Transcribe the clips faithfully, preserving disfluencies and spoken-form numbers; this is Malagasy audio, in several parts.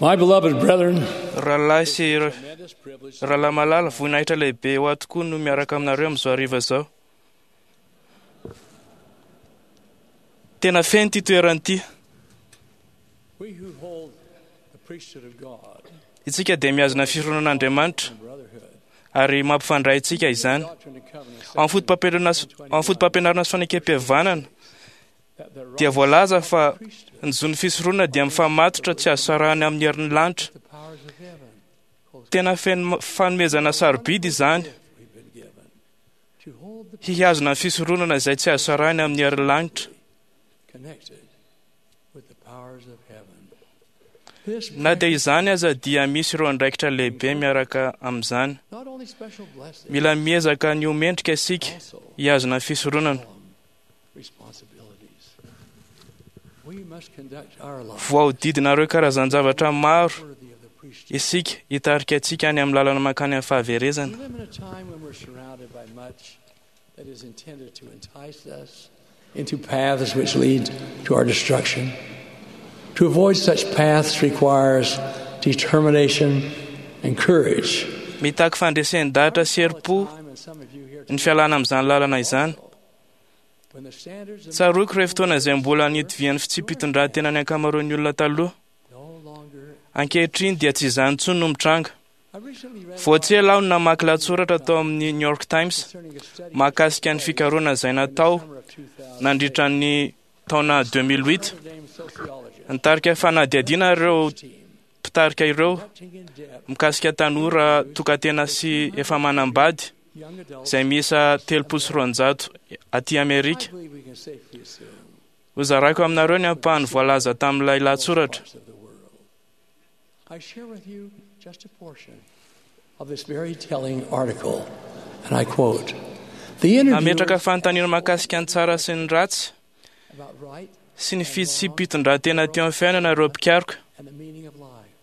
My beloved brethren, Rahalahy sy rahalahy malala, voninahitra lehibe ho ahy tokoa no miaraka aminareo amin'izao hariva izao. Tena feno ity toerana ity. we who hold the priesthood of God Isika dia mihazona fironan'Andriamanitra and brotherhood, ary mampifandray antsika izany. Doctrine and Covenants, Ao amin'ny foto-pampianarana sy- ao amin'ny foto-pampianarana sy fanekem-pihavanana that the dia right voalaza fa priesthood, ny zon'ny fisoronana dia mifamatotra tsy azo sarahana amin'ny herin'ny lanitra. the powers of heaven, close Tena feno fanomezana sarobidy izany we've been given, to hold the hihazona ny fisoronana izay tsy azo sarahana amin'ny herin'ny lanitra. connected with the powers of heaven. This Na dia izany aza dia misy ireo andraikitra lehibe miaraka amin'izany. not only special blessings, Mila miezaka ny ho mendrika isika also hihazona ny fisoronana. solemn responsibilities. We must conduct our lives Voahodidina ireo karazan-javatra maro worthy of the priesthood. isika hitarika antsika any amin'ny lalana mankany amin'ny fahaverezana. We live in a time when we're surrounded by much that is intended to entice us into paths which lead to our destruction. To avoid such paths requires determination and courage. Mitaky fandresen-dahatra sy herim-po Time, and some of you here ny fialana amin'izany lalana izany. when the standards of Tsaroako ireo fotoana izay mbola nitovian'ny fitsipi-pitondran-tena ny ankamaroan'ny olona taloha. no longer Ankehitriny dia tsy izany intsony no mitranga. I recently read Vao tsy ela aho no namaky lahatsoratra tao amin'ny New York Times concerning a study mahakasika ny fikarohana izay natao summer of two thousand nandritra ny taona deux mille huit. Notre Dame sociologist Nitarika fanadihadiana ireo team mpitarika ireo conducting in depth mikasika tanora tokantena sy efa manambady young adults izay miisa telopolo sy roanjato aty Amerika. I believe we can safely assume Hozaraiko aminareo ny ampahany voalaza tamin'ilay lahatsoratra. parts of the world. I share with you just a portion of this very telling article, and I quote The Nametraka interviewers fanontaniana mahakasika ny tsara sy ny ratsy about right sy ny fitsipi-pitondran-tena teo amin'ny fiainana ireo mpikaroka. and the meaning of life.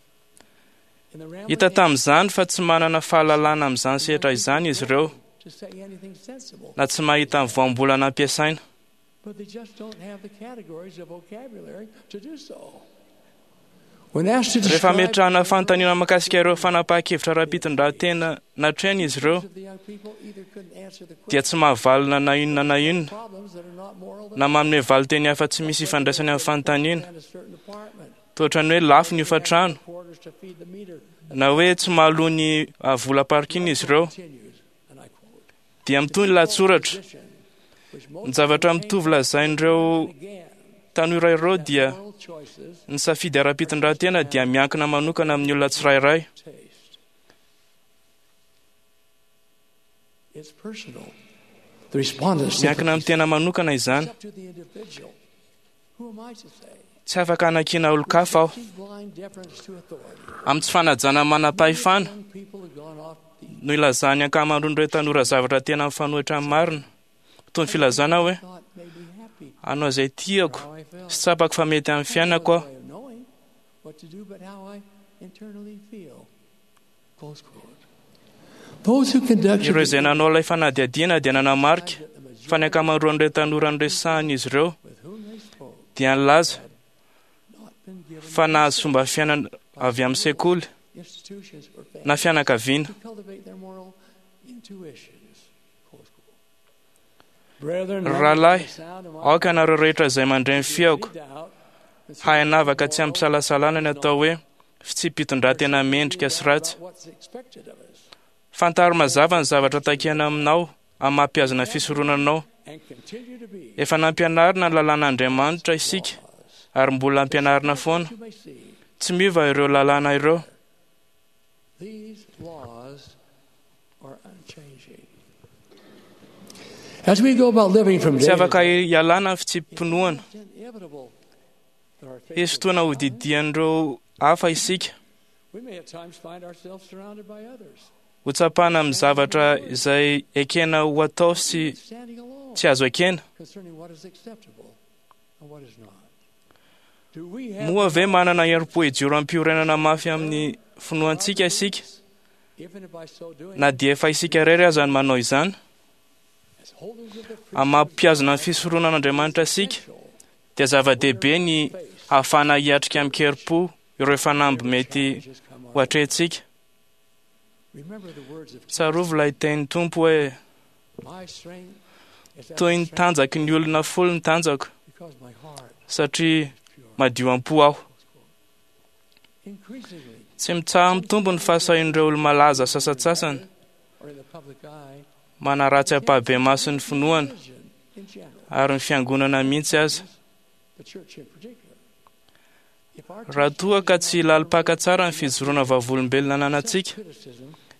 In the rambling Hita tamin'izany fa tsy manana fahalalana amin'izany sehatra izany izy ireo to say anything sensible, na tsy mahita ny voambolana ampiasaina. but they just don't have the categories of vocabulary to do so. When asked to Rehefa describe ametrahana fanontaniana mahakasika ireo fanapahan-kevitra ara-pitondran-tena natrehiny izy ireo of the young people either couldn't answer the dia tsy mahavalona na inona na inona problems that are not moral na manome valin-teny hafa tsy misy ifandraisany amin'ny fanontaniana and a certain apartment, toa ohatran'ny hoe lafo ny hofantrano quarters to feed the meter na hoe tsy mahaloa ny ah, vola parking izy ireo continues, and I quote, dia mitohy ny lahatsoratra. position which most Ny zavatra mitovy lazain'ireo again tanora ireo dia moral choices ny safidy ara-pitondran-tena dia miankina manokana amin'ny olona tsirairay. taste. It's personal. The respondents Miankina amin'ny tena manokana izany. It's up to the individual. Who am I to say? Tsy afaka hanakiana olon-kafa aho. Keep blind deference to authority. Amin'ny tsy fanajana manam-pahefana Young people have gone off the no ilazan'ny ankamaroan'ireo tanora zavatra tena mifanohitra amin'ny marina. Toy ny filazana hoe thought made me happy. hanao izay tiako How I felt. sy tsapako fa mety amin'ny fiainako aho. Way of knowing what to do, but how I internally feel. Close quote. Those who conducted Ireo izay nanao ilay fanadihadiana dia nanamarika the fa ny ankamaroan'ireo tanora noresahana izy ireo with whom they spoke dia nilaza not been given fa nahazo fomba fiainana avy amin'ny sekoly institutions or na families fianakaviana. to cultivate their moral intuitions. Close quote. Brethren, Rahalahy, the sound of my aoka ianareo rehetra izay mandre ny feoko doubt hahay hanavaka tsy ampisalasalana ny atao hoe fitsipi-pitondran-tena mendrika sy ratsy. about what's expected of us Fantaro mazava ny zavatra takiana aminao amin'ny mampihazona fisoronanao. and continue to be Efa nampianarina ny lalàn'Andriamanitra isika ary mbola ampianarina foana. you may see Tsy miova ireo lalàna ireo. these laws are unchanging. As we go about living from Tsy day to afaka day, hialana ny fitsipi-pinoana. it's inevitable that our faith Hisy fotoana hodidian'ireo hafa isika. we may at times find ourselves surrounded by others, Ho tsapana amin'ny zavatra izay ekena ho atao sy standing alone tsy azo ekena. concerning what is acceptable and what is not. Do we have Moa ve manana herim-po hijoro am-piorenana mafy amin'ny finoantsika isika even if by so doing, na dia efa isika irery aza ny manao izany? as holders of the Amin'ny mampihazona ny fisoronan'Andriamanitra isika dia zava-dehibe ny ahafahana hiatrika amin-kerim-po ireo fanamby mety ho atrehintsika. Tsarovy ilay tenin'ny Tompo hoe toy ny tanjaky ny olona folo ny tanjako satria madio am-po aho. Tsy mitsaha-mitombo ny fahasahian'ireo olo-malaza sasantsasany manaratsy ampahibemaso ny finoana ary ny fiangonana mihitsy aza. Raha toa ka tsy lalim-paka tsara ny fijoroana vavolombelona ananantsika,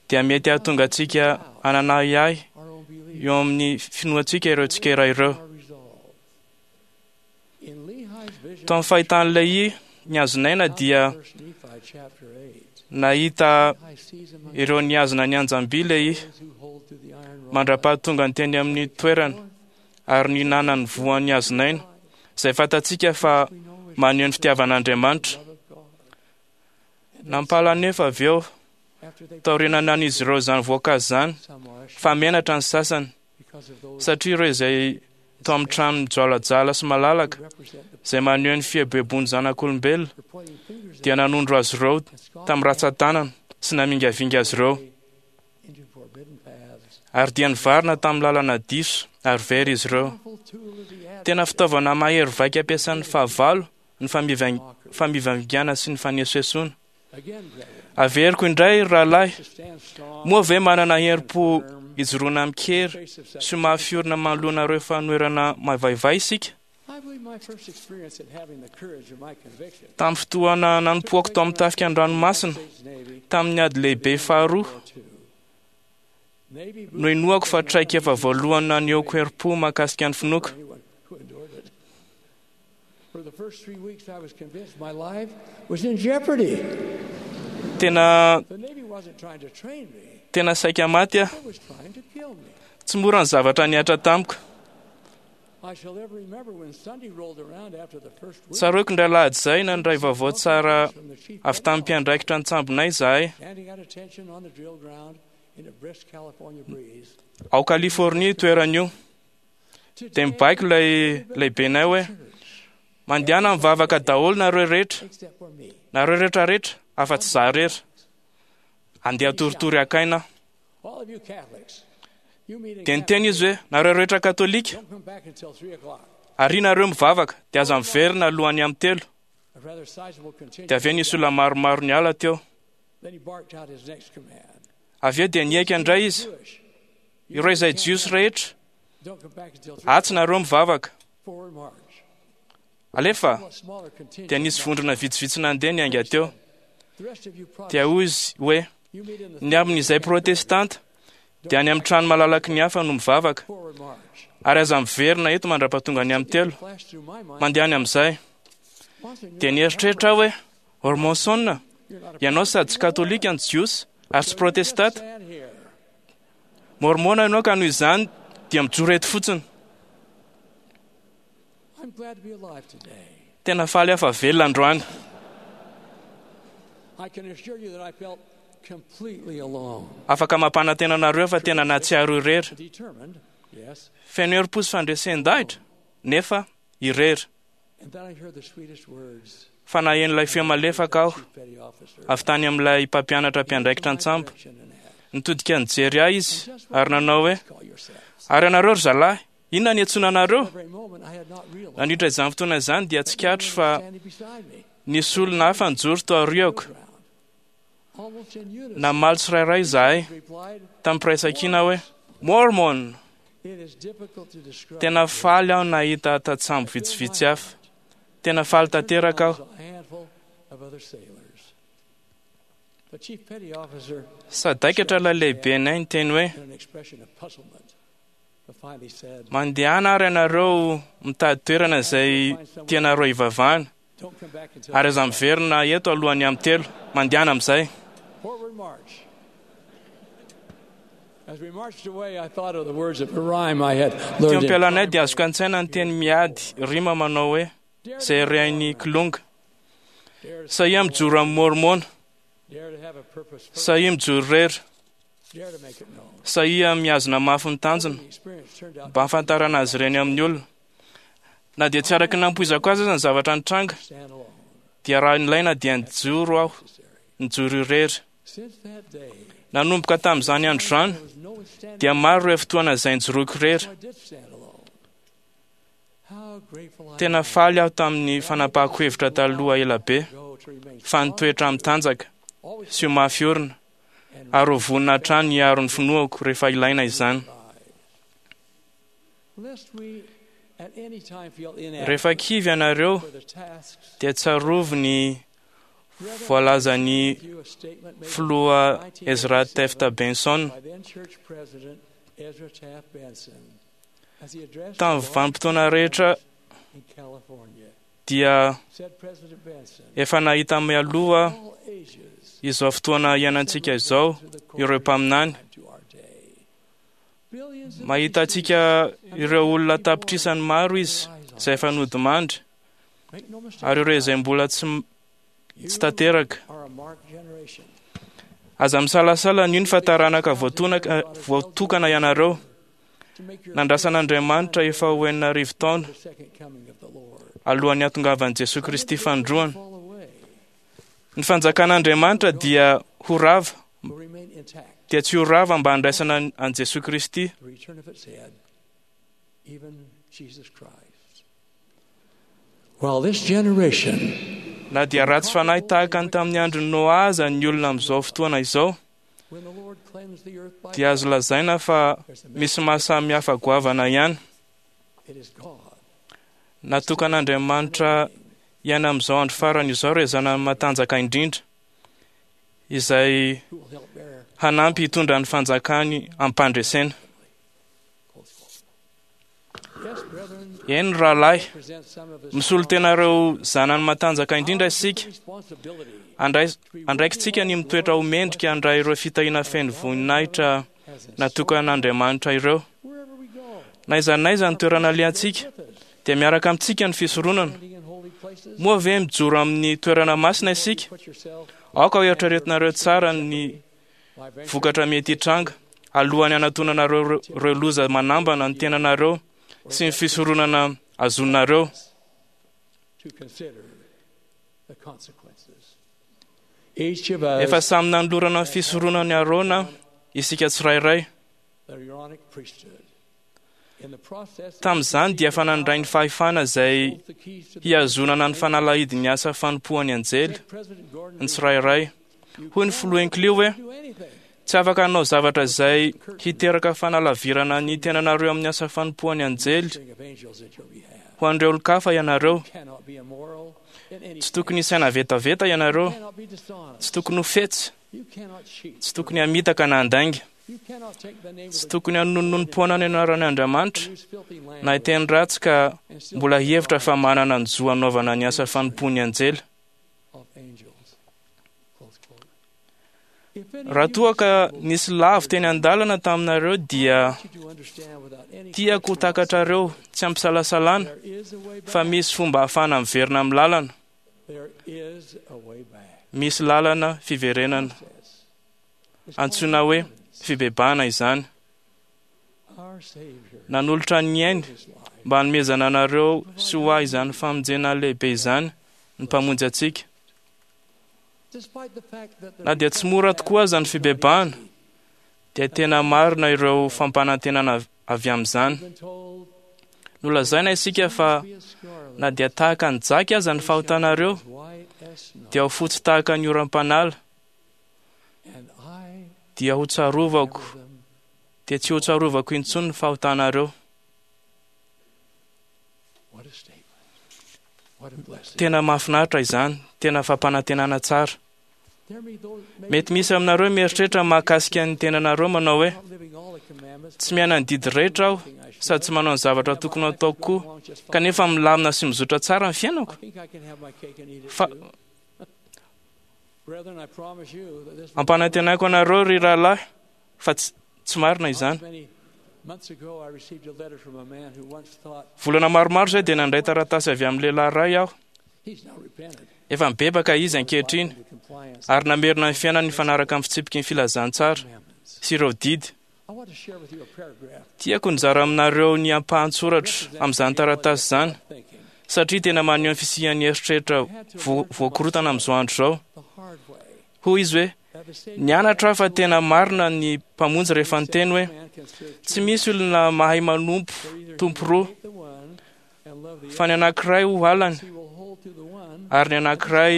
dia mety hahatonga antsika hanana ahiahy eo amin'ny finoantsika ireo tsikera ireo. Tao amin'ny fahitan'ilay i ny hazonaina dia nahita ireo nihazona ny anjam-by ilay i mandra-pahatonga ny teny amin'ny toerana ary nihinana ny voan'ny hazonaina, izay fantatsika fa maneho ny fitiavan'Andriamanitra. Nampala anefa avy eo taorianan'izy ireo izany voankazo izany fa menatra ny sasany satria ireo izay tao amin'ny trano mijoalajoala sy malalaka izay maneho ny fieboeboan'ny zanak'olombelona dia nanondro azy ireo tamin'ny ratsan-tanana sy namingavinga azy ireo, ary dia nivarina tamin'ny lalana diso ary very izy ireo. Tena fitaovana mahery vaika ampiasan'ny fahavalo ny famivangana sy ny fanesoesoana. Averiko indray, rahalahy, moa ve manana herim-po ijoroana amin-kery sy mahafiorina manoloana ireo fanoherana mavaivay isika? Tamin'ny fotoana nanompoako tao amin'ny tafika an-dranomasina tamin'ny ady lehibe faharoa, no inoako fa traikefa voalohany nanehoako herim-po mahakasika ny finoako. Tena tena saika maty aho. Tsy mora ny zavatra nihatra tamiko. Tsaroako indray alahady izay nandray vaovao tsara avy tamin'ny mpiandraikitra ny tsambonay izahay. Ao Californie toerana io. Dia mibaiko ilay lehibenay hoe mandehana mivavaka daholo nareo rehetra, nareo rehetra rehetra afa-tsy izaho irery. Andeha toritory hakaina. Dia niteny izy hoe nareo rehetra katolika, ary nareo mivavaka, dia aza miverina alohan'ny amin'ny telo. Dia avy eo nisy olona maromaro niala teo. Avy eo dia nihaika indray izy, ireo izay jiosy rehetra, atsy nareo mivavaka. Alefa, dia nisy vondrona vitsivitsy nandeha niainga teo. Dia hoy izy hoe ny amin'izay protestanta dia any amin'ny trano malalaky ny hafa no mivavaka, ary aza miverina eto mandra-pahatonga ny amin'ny telo. Mandeha any amin'izay. Dia nieritreritra aho hoe Ormonson, ianao sady tsy katolika no jiosy ary tsy protestanta. Mormona ianao ka noho izany dia mijoro eto fotsiny. Tena faly aho fa velona androany. Afaka mampanantena anareo fa tena nahatsiaro irery. Feno herim-po sy fandresen-dahitra, nefa irery. Fa naheno ilay feo malefaka aho avy tany amin'ilay mpampianatra mpiandraikitra an-tsambo. Nitodika nijery ahy izy ary nanao hoe ary ianareo ry zalahy, inona ny antsoina anareo? Nandritra izany fotoana izany dia tsikaritra fa nisy olona hafa nijoro tao aoriako. Namaly tsirairay izahay tamin'ny firaisankina hoe Mormon. Tena faly aho nahita tatsambo vitsivitsy hafa. Tena faly tanteraka aho. Sadaikatra ilay lehibenay niteny hoe mandehana ary ianareo mitady toerana izay tianareo hivavahana, ary aza miverina eto alohan'ny amin'ny telo. Mandehana amin'izay. Teo am-pialanay dia azoko an-tsaina ny teny miady rima manao hoe izay rehain'ny kilonga. Sahia mijoro amin'ny mormona, sahia mijoro irery, sahia mihazona mafy ny tanjona mba hahafantarana azy ireny amin'ny olona. Na dia tsy araka ny nampoizako azy aza ny zavatra nitranga, Dia raha nilaina dia nijoro aho, nijoro irery. Nanomboka tamin'izany andro izany, dia maro ireo fotoana izay nijoroako irery. Tena faly aho tamin'ny fanapahako hevitra taloha ela be, fa nitoetra mitanjaka sy ho mafy orina, ary ho vonona hatrany hiaro ny finoako rehefa ilaina izany. Rehefa kivy ianareo, dia tsarovy ny voalazan'ny filoha Ezra Taft Benson tamin'ny vanim-potoana rehetra dia efa nahita mialoha izao fotoana iainantsika izao ireo mpaminany. Mahita antsika ireo olona tapitrisany maro izy izay efa nodimandry, ary ireo izay mbola tsy tsy tanteraka. Aza misalasala an'io ny fa taranaka voatonaka voatokana ianareo. Nandrasan'Andriamanitra efa ho enina arivo taona alohan'ny hatongavan'i Jesoa Kristy fanindroany. Ny fanjakan'Andriamanitra dia ho rava, dia tsy ho rava mba handraisana an'i Jesoa Kristy. Na dia ratsy fanahy tahaka ny tamin'ny andron'i Noa aza ny olona amin'izao fotoana izao, dia azo lazaina fa misy mahasamihafa goavana ihany. Natokan'Andriamanitra hiaina amin'izao andro farany izao ireo zanany matanjaka indrindra, izay hanampy hitondra ny fanjakany am-pandresena. Eny rahalahy, misolo tena ireo zanany matanjaka indrindra isika. Andraikitsika ny mitoetra ho mendrika handray ireo fitahiana feno voninahitra natokan'Andriamanitra ireo. Na aiza na aiza ny toerana alehantsika, dia miaraka amintsika ny fisoronana. Moa ve mijoro amin'ny toerana masina isika? Aoka ho eritreretinareo tsara ny vokatra mety hitranga alohan'ny hanatonanareo ireo loza manambana ny tenanareo sy ny fisoronana azonareo. Efa samy nanolorana ny fisoronan'i Arona isika tsirairay. Tamin'izany dia efa nandray ny fahefana izay hihazonana ny fanalahidin'ny asa fanompoan'ny anjely ny tsirairay. Hoy ny filoha Hinckley hoe, tsy afaka hanao zavatra izay hiteraka fanalavirana ny tenanareo amin'ny asa fanompoan'ny anjely ho an'ireo olon-kafa ianareo. Tsy tokony hisaina vetaveta ianareo, tsy tokony ho fetsy, tsy tokony hamitaka na handainga, tsy tokony hanononom-poana ny anaran'Andriamanitra na hiteny ratsy ka mbola hihevitra fa manana ny zo hanaovana ny asa fanompoan'ny anjely. Raha toa ka nisy lavo teny an-dalana taminareo dia tiako ho takatrareo tsy ampisalasalana fa misy fomba ahafahana miverina amin'ny lalana. Misy lalana fiverenana. Antsoina hoe fibebahana izany. Nanolotra ny ainy mba hanomezana anareo sy ho ahy izany famonjena lehibe izany ny mpamonjy antsika. Na dia tsy mora tokoa aza ny fibebahana, dia tena marina ireo fampanantenana avy amin'izany. Nolazaina isika fa na dia tahaka ny jaky aza ny fahotanareo, dia ho fotsy tahaka ny oram-panala, dia ho tsarovako, dia tsy ho tsarovako intsony ny fahotanareo. Tena mahafinaritra izany, tena fampanantenana tsara. Mety misy aminareo mieritreritra mahakasika ny tenanareo manao hoe, tsy miaina ny didy rehetra aho sady tsy manao ny zavatra tokony hataoko koa, kanefa milamina sy mizotra tsara ny fiainako. Fa ampanantenaiko anareo ry rahalahy fa tsy, tsy marina izany. Volana maromaro izay dia nandray taratasy avy amin'ny lehilahy iray aho. Efa mibebaka izy ankehitriny ary namerina ny fiainany nifanaraka amin'ny fitsipiky ny filazantsara sy ireo didy. Tiako nizara aminareo ny ampahan-tsoratra amin'izany taratasy izany satria tena maneho ny fisian'ny eritreritra voakorotana amin'izao andro izao. Hoy izy hoe nianatra aho fa tena marina ny Mpamonjy rehefa niteny hoe tsy misy olona mahay manompo tompo roa, fa ny anankiray ho halany ary ny anankiray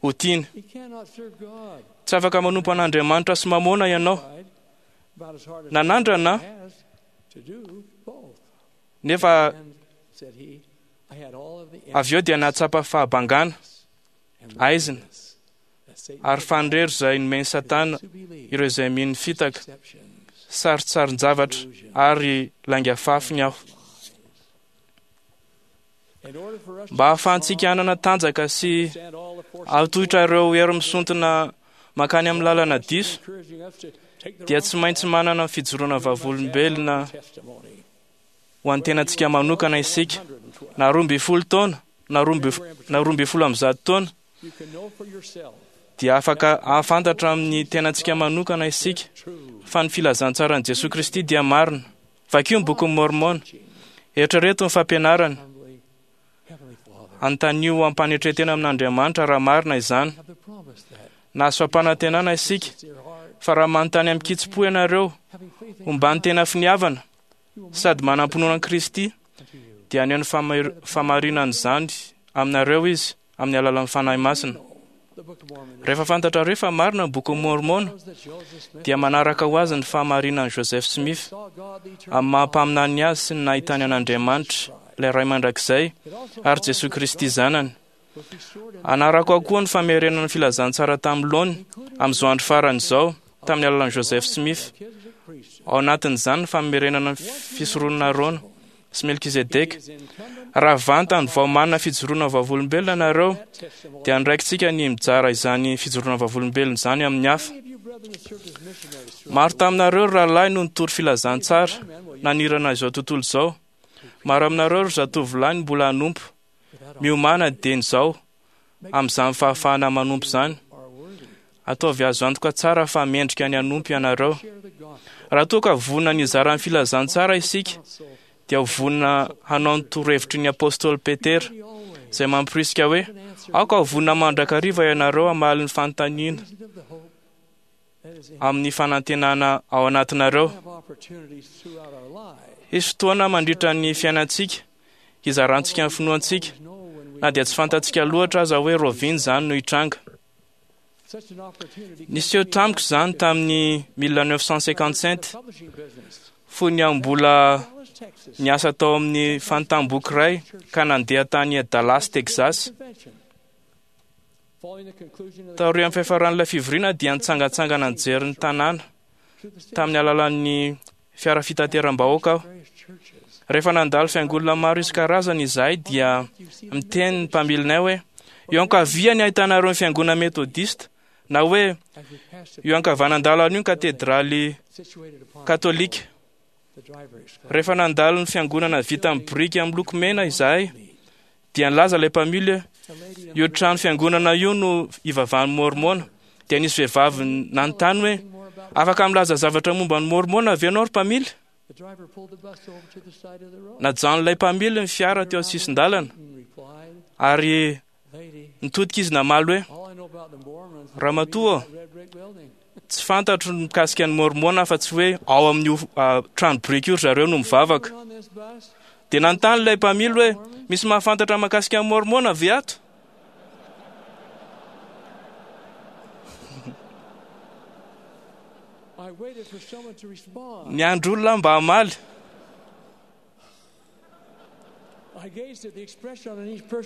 ho tiany. Tsy afaka manompo an'Andriamanitra sy mamona ianao. Nanandrana nefa avy eo dia nahatsapa fahabangana, aizina ary fandrero izay nomen'i Satana ireo izay mino ny fitaka, sarintsarin-javatra ary lainga fafiny aho. Mba hahafahantsika hanana tanjaka sy hahatohitra ireo hery misontina mankany amin'ny lalana diso, dia tsy maintsy manana fijoroana vavolombelona ho an'ny tenantsika manokana isika, na roa amby folo taona na roa amby folo amby zato taona, dia afaka hahafantatra amin'ny tenantsika manokana isika fa ny filazantsaran'i Jesoa Kristy dia marina. Vakio ny bokin'i Mormona, eritrereto ny fampianarany, anontanio ampanetren-tena amin'Andriamanitra raha marina izany. Nahazo fampanantenana isika fa raha manontany amin-kitsim-po ianareo homban'ny tena finiavana sady manam-pinoana an'i Kristy, dia haneho ny fahamarinan'izany aminareo izy amin'ny alalan'ny Fanahy Masina. Rehefa fantatrareo fa marina ny bokin'i Mormona, dia manaraka ho azy ny fahamarinan'i Joseph Smith amin'ny maha-mpaminany azy sy ny nahitany an'Andriamanitra, ilay Ray mandrakizay, ary Jesoa Kristy zanany. Anarako ao koa ny famerenana ny filazantsara tamin'ny laony amin'izao andro farany izao tamin'ny alalan'i Joseph Smith. Ao anatin'izany ny famerenana ny fisoronana Arona sy Melkizedeka. Raha vantany vao manana fijoroana vavolombelona nareo, dia andraikitsika ny mijara izany fijoroana vavolombelona izany amin'ny hafa. Maro taminareo ry rahalahy no nitory filazantsara nanirana izao tontolo izao. Maro aminareo ry zatovolahy no mbola hanompo. Miomàna dieny izao amin'izany fahafahana manompo izany. Ataovy azo antoka tsara fa mendrika ny hanompo ianareo. Raha toa ka vonona ny hizara ny filazantsara isika, dia ho vonona hanao ny torohevitry ny apôstôly Petera, izay mampirisika hoe aoka ho vonona mandrakariva ianareo hamaly ny fanontaniana amin'ny fanantenana ao anatinareo. Hisy fotoana mandritra ny fiainantsika hizarantsika ny finoantsika, na dia tsy fantatsika loatra aza hoe rovina izany no hitranga. Niseho tamiko izany tamin'ny mille neuf cent cinquante-sept, fony aho mbola niasa tao amin'ny fanontam-boky iray ka nandeha tany Dallas, Texas. Taorian'ny fiafaran'ilay fivoriana dia nitsangantsangana nijery ny tanàna tamin'ny alalan'ny fiara fitateram-bahoaka aho. Rehefa nandalo fiangonana maro isan-karazany izahay dia miteny ny mpamilinay hoe eo ankavia ny ahitanareo ny fiangonana metodista, na hoe eo ankavanandalana io ny katedraly katolika. Rehefa nandalo ny fiangonana vita amin'ny biriky amin'ny loko mena izahay, dia nilaza ilay mpamily hoe io trano fiangonana io no ivavahan'ny Mormona. Dia nisy vehivavy nanontany hoe afaka milaza zavatra momba ny Mormona ve ianao ry mpamily? Najanon'ilay mpamily ny fiara teo an-tsisin-dalana ary nitodika izy namaly hoe ramatoa, tsy fantatro mikasika ny Mormona fa tsy hoe ao amin'io trano biriky io ry zareo no mivavaka. Dia nanontany ilay mpamily hoe misy mahafantatra mahakasika ny Mormona ve ato? Niandry olona mba hamaly.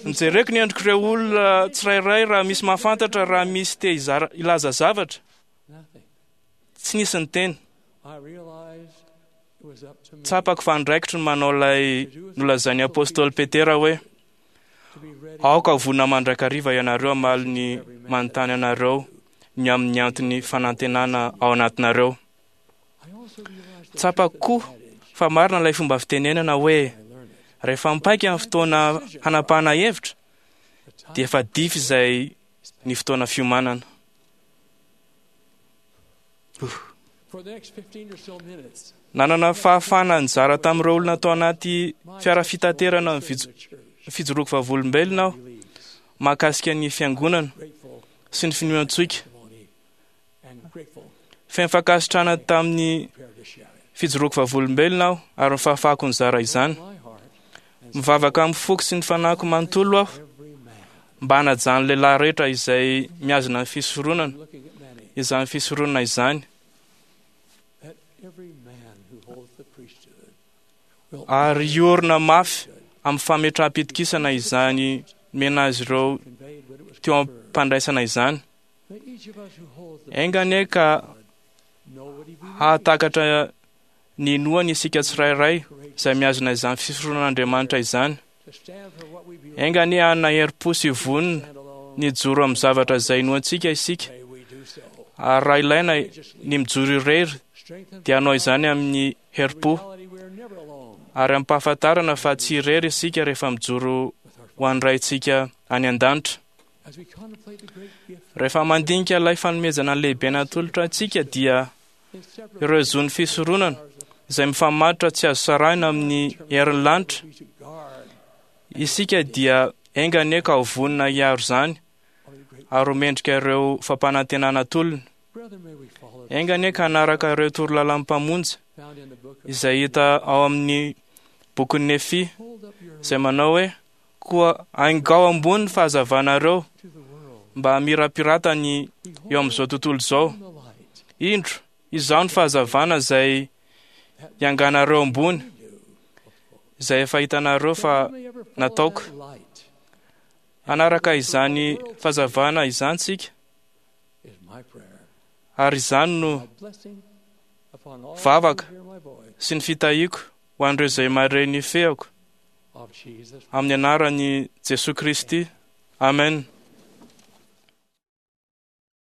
Nijereko ny endrik'ireo olona tsirairay raha misy mahafantatra, raha misy te hizara hilaza zavatra. Tsy nisy niteny. Tsapako fa andraikitro ny manao ilay nolazain'ny apôstôly Petera hoe aoka ho vonona mandrakariva ianareo hamaly ny manontany anareo ny amin'ny antony fanantenana ao anatinareo. Tsapako koa fa marina ilay fomba fitenenana hoe rehefa mipaika ny fotoana hanapahana hevitra dia efa dify izay ny fotoana fiomanana. Nanana fahafahana nizara tamin'ireo olona tao anaty fiara fitaterana ny fijoroako vavolombelona aho mahakasika ny fiangonana sy ny finoantsika. Feno fankasitrahana tamin'ny fijoroako vavolombelona aho ary ny fahafahako nizara izany. Mivavaka amin'ny foko sy ny fanahiko manontolo aho mba hanajan'ny lehilahy rehetra izay mihazona ny fisoronana, izany fisoronana izany. Ary hiorina mafy amin'ny fametraham-pitokisana izany nomena azy ireo teo am-pandraisana izany. Enga anie ka hahatakatra ny inoany isika tsirairay izay mihazona izany fisoronan'Andriamanitra izany. Enga anie hanana herim-po sy vonona ny hijoro amin'ny zavatra izay inoantsika isika. Ary raha ilaina ny mijoro irery dia hanao izany amin'ny herim-po ary ampahafantarana fa tsy irery isika rehefa mijoro ho an'ny Raintsika any an-danitra. Rehefa mandinika ilay fanomezana lehibe natolotra antsika dia ireo zon'ny fisoronana izay mifamatotra tsy azo sarahina amin'ny herin'ny lanitra, isika dia enga anie ka ho vonona hiaro izany ary ho mendrika ireo fampanantenana atolony. Enga anie ka hanaraka ireo torolalan'ny Mpamonjy izay hita ao amin'ny bokin'ny Nefia izay manao hoe: koa aingao ambony ny fahazavanareo mba hamirapiratany eo amin'izao tontolo izao. Indro, izaho ny fahazavana izay ianganareo ambony, izay efa hitanareo fa nataoko. Hanaraka izany fahazavana izany tsika, ary izany no vavaka sy ny fitahiako ho an'ireo izay mahare ny feoko amin'ny anaran'i Jesoa Kristy. Amen.